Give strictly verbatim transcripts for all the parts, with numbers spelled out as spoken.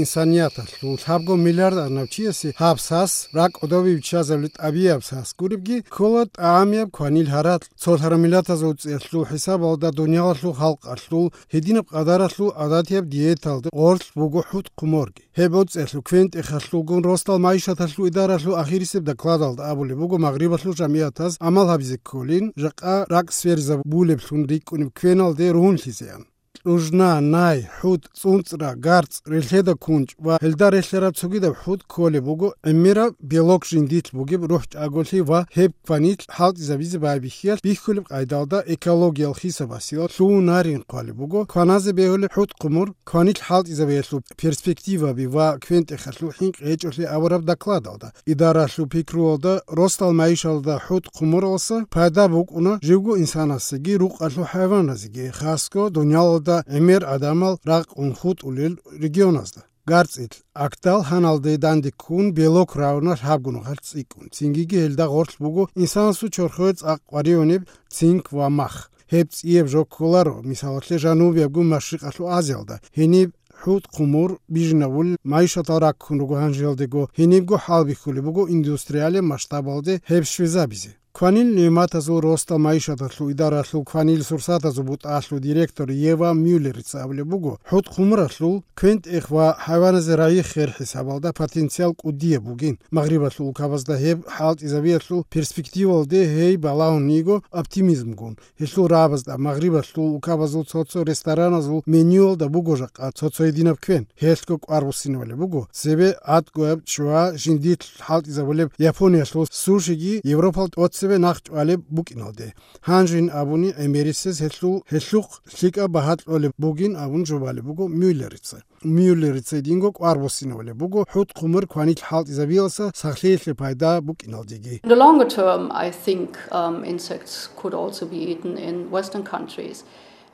инсанияталъул лъабго миллиард арнав чиясе гьаб сас, ракӀ кӀодобе биччазабли тӀабияб сас гуребги, ккола тӀагӀамияб кванил гьаракь. Цолъараб миллатазул цӀеялъул хӀисабалда дуниялалъул халкъалъул гьединаб къадаралъул гӀадатияб диеталда гъорлъ буго хӀутӀ-хъумурги. Гьеб оцӀиялъул квен-тӀехалъулгун росдал майишаталъул идаралъул ахирисеб докладалда абулеб буго, магърибалъул жамигӀатаз гӀамал гьабизе кколин, жакъа ракӀ сверизабулеблъун рикӀкӀунеб квеналде ругьунлъизеян. Лужна, най, хӀутӀ, цӀунцӀра, гарцӀ, релъеда кунчӀ ва гьелда релълъараб цогидаб хӀутӀ кколеб буго гӀемераб белок жиндилъ бугеб рухӀчӀаголъи ва гьеб кванилъ хӀалтӀизабизе байбихьиялъ бихьулеб къайдалда экологиял хисабасила лъугьунарин хъвалеб буго кваназе бегьулеб хӀутӀ-хъумур кванилъ хӀалтӀизабиялъул перспективаби ва квен-тӀехалъул хӀинкъи гьечӀолъи абураб докладалда. Идаралъул пикруялда, росдал майишалда хӀутӀ-хъумуралса пайда букӀуна живго инсанасеги рукъалъул хӀайваназеги, хасго дуниялалда гӀемер гӀадамал ракъун хутӀулел регионазда. ГарцӀил, Агдал гьаналде данде ккун, белок равна лъабго нухалъ цӀикӀкӀун. Цинги гьелда гъорлъ буго инсанасул чорхое цӀакъ къваригӀунеб цинк ва мах. Гьеб цӀияб жо кколаро, мисалалъе, Жанубиябго Машрикъалъул Азиялда. Гьениб хӀутӀ-хъумур бижинабулел майишатал раккун руго гьанжеялдего, гьенибго хӀалбихьулеб буго индустриалияб масштабалде гьеб щвезабизе. Кванил нигӀматазул росдал майишаталъул идаралъул кванил сурсатазул бутӀалъул директор Ева Мюллерица абулеб буго, хӀутӀ-хъумуралъул квен-тӀех ва хӀайваназе рагӀи-хер хӀисабалда потенциал кӀудияб бугин. Магърибалъул улкабазда гьеб хӀалтӀизабиялъул перспективалде гьей балагьун йиго оптимизмгун. Гьелъул рагӀабазда Магърибалъул улкабазул цо-цо рестораназул менюялда буго жакъа цо-цо гьединаб квен. Гьелъго кӀвар буссинабулеб буго цебе гӀатӀгояб чугьа жиндилъ хӀалтӀизабулеб Япониялъул сушиги Европал тӀоцебе нахъ чӀвалеб букӀиналде. Гьанжин абуни, гӀемерисез гьелъул, гьелъухъ лъикӀаб багьа кьолеб бугин абун жубалеб буго Мюллерица. Мюллерица динго кӀвар буссинабулеб буго хӀутӀ-хъумур кванилъ хӀалтӀизабиялса сахлъиялъе пайда букӀиналдеги. In the longer term, I think, um, insects could also be eaten in Western countries.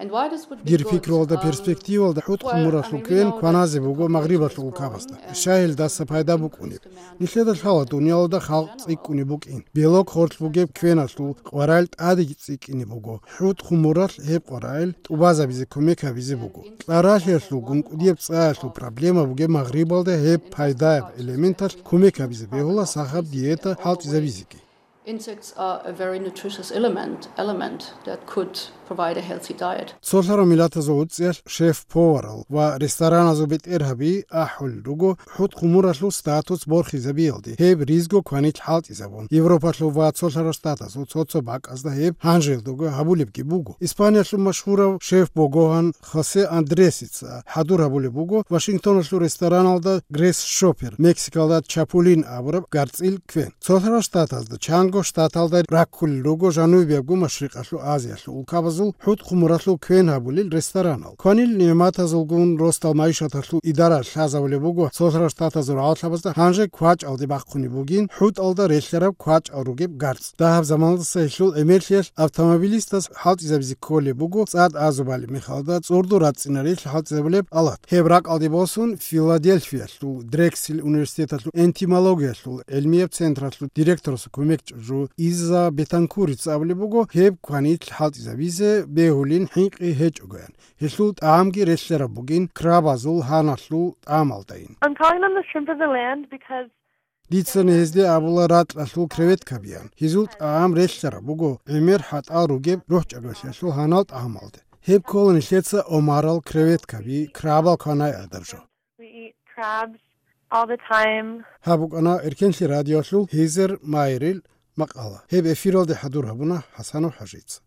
And why this would be Дир good, пикруялда, um, перспективалда хӀутӀ-хъумуралъул well, I mean, we квен know кваназе that буго Магърибалъул улкабазда. Щай гьелдаса пайда букӀунеб? Нилъеда лъала дуниялалда халкъ цӀикӀкӀунеб букӀин. Белок гъорлъ бугеб квеналъул къварал тӀадеги цӀикӀкӀине буго. ХӀутӀ-хъумуралъ гьеб къварал тӀубазабизе кумек гьабизе буго. Кьаралъиялъулгун кӀудияб цӀаялъул проблема бугеб Магърибалда гьеб пайдаяб элементалъ кумек гьабизе бегьула сахаб диета хӀалтӀизабизеги. Insects are a very nutritious element, element that could provide a healthy diet. Цолъарав миллатазул уцӀиялъ шеф-поварал ва рестораназул бетӀергьаби ахӀулел руго хӀутӀ-хъумуралъул статус борхизабиялде, гьеб ризго кванилъ хӀалтӀизабун. Европалъул ва Цолъарав Штатазул цо-цо бакӀазда гьеб гьанжелдаго гьабулебги буго. Испаниялъул машгьурав шеф-богогьан Хосе Андресица хӀадур гьабулеб буго Вашингтоналъул рестораналда Грейс Шоппер, Мексикалда Чапулин абураб гарцӀил квен. Цолъарав Штатазда, чанго штаталда раккулел руго Жанубиябго Машрикъалъул Азиялъул улкабазул хӀутӀ-хъумуралъул квен гьабулел ресторанал. Кванил нигӀматазулгун росдал майишаталъул идара лъазабулеб буго Цолъарав Штатазул рагӀалъабазда гьанже квачӀалде бахъунеб бугин хӀутӀалда релълъараб квачӀал ругеб гарцӀ. Дагьаб заманалдаса гьелъул гӀемерлъиялъ автомобилистас хӀалтӀизабизе кколеб буго цӀад азубали мехалда цӀурду рацӀцӀинарилъ хӀалтӀизабулеб алат. Гьеб ракӀалде босун Филадельфиялъул Дрексел университеталъул энтомологиялъул гӀилмияб централъул директорасул кумекчӀужу Иза Бетанкурица абулеб буго, гьеб кванилъ хӀалтӀизабизе бегьулин хӀинкъи гьечӀогоян. Гьелъул тӀагӀамги релълъараб бугин крабазул гьаналъул тӀамалдайин. I'm calling them the shrimp of the land because Дицани гьезде абула ракьалъул креветкабиян. Гьезул тӀагӀам релълъараб буго гӀемер хӀатӀал ругеб рухӀчӀаголъиялъул гьанал тӀагӀамалде. Гьеб ккола нилъеца омарал, креветкаби, крабал кванай гӀадаб жо. We eat crabs all the time. Гьаб букӀана Эркенлъи радиолъул Гьезер Майерил макъала. Гьеб эфиралде хӀадур гьабуна ХӀасанов ХӀажица.